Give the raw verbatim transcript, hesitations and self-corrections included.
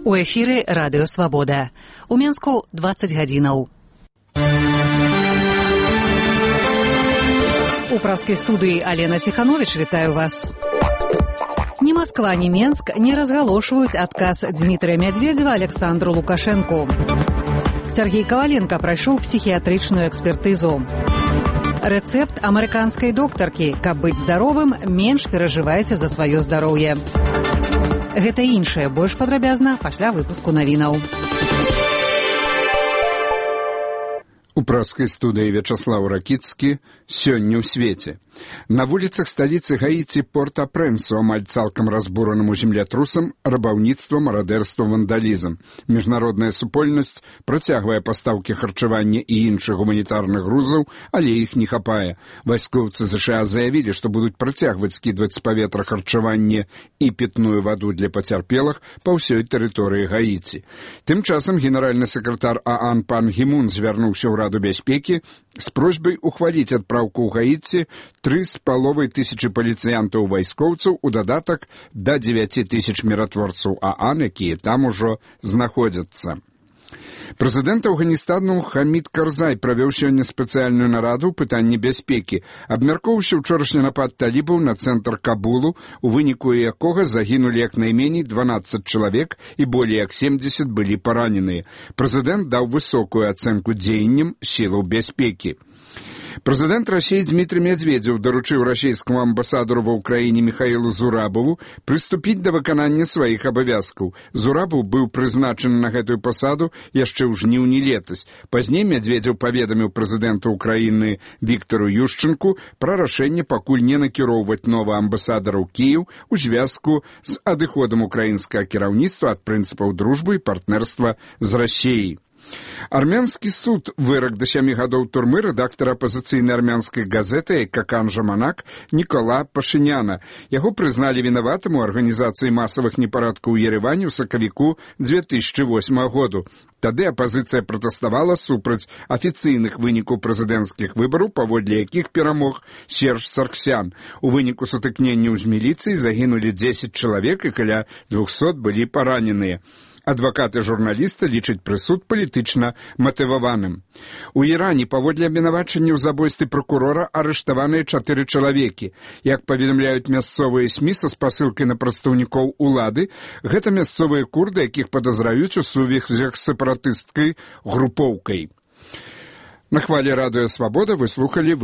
У эфіры Радыё Свабода. У Менску дваццаць гадзінаў. У праскай студыі Алена Ціхановіч вітаю вас. Ні Масква, ні Менск не разгалошваюць адказ Дмітрия Медведева Александру Лукашэнку. Сергей Коваленко прайшоў псіхіятрычную экспертызу. Рэцэпт амерыканскай доктаркі: каб быць здаровым, менш перажывайце за сваё здароўе. Гэта і іншае больш падрабязна пасля выпуску навінаў. У праскай студыі Вячаслаў Ракіцкі. Сёння ў свеце. На вуліцах сталіцы Гаіці Порт-а-Прэнсу амаль цалкам разбуранаму землятрусам рабаўніцтва, марадэрства, вандалізм. Міжнародная супольнасць працягвае пастаўкі харчавання і іншых гуманітарных грузаў, але іх не хапае. Вайскоўцы ЗША заявілі, што будуць працягваць скідваць з паветра харчаванне і пітную ваду для пацярпелых па ўсёй тэрыторыі Гаіці. Тым часам генеральны сакратар ААН пан Гімун звярнуўся ў Раду бяспекі з просьбай ухваліць адпраўку ў Гаіці тры з паловай тысячы паліцыянтаў-вайскоўцаў у дадатак да дзевяці тысяч міратворцаў ААН, якія там ужо знаходзяцца. Прэзідэнт Афганістану Хамід Карзай правёў сёння спецыяльную нараду ў пытанні бяспекі, абмяркоўваўшы ўчорашні напад талібаў на цэнтр Кабулу, у выніку якога загінулі як найменей дванаццаць чалавек і болей як семдзесят былі параненыя. Прэзідэнт даў высокую ацэнку дзеянням сілаў бяспекі. Прэзідэнт Расіі Дмітрий Медведзев даручыў расійскаму амбасадару ва ўкраіне Міхаілу Зурабову прыступіць да выканання сваіх абавязкаў. Зурабов быў прызначаны на гэтую пасаду яшчэ ў жніўні летась. Пазней Медведзев паведаміў прэзідэнту ўкраіны Віктару Юшчэнку пра рашэнне пакуль не накіроўваць новы амбасадар у Кіеў у звязку з адыходам украінскага кіраўніцтва ад прынцыпаў дружбы і партнерства з Расіяй. Армянскі суд вырак да сямі гадоў турмы рэдактара апазіцыйнай армянскай газеты «Какан Жаманак» Нікола Пашыняна. Яго прызналі вінаватым у арганізацыі масавых непарадкаў у Ереване ў сакавіку дзве тысячы восьмага году. Тады апазіцыя пратэставала супраць афіцыйных вынікаў прэзідэнцкіх выбараў, паводле якіх перамог Серж Сарксян. У выніку сутыкненняў з міліцыяй загінулі дзесяць чалавек і каля двухсот былі параненыя. Адвакаты журналіста лічаць прысуд палітычна матываваным. У Іране паводле абвінавачання ў забойстве пракурора арыштаваныя чатыры чалавекі. Як паведамляюць мясцовыя СМІ са спасылкай на прадстаўнікоў улады, гэта мясцовыя курды, якіх падазраюць у сувязях з сепаратысцкай групоўкай. На хвалі Радыё Свабода вы слухалі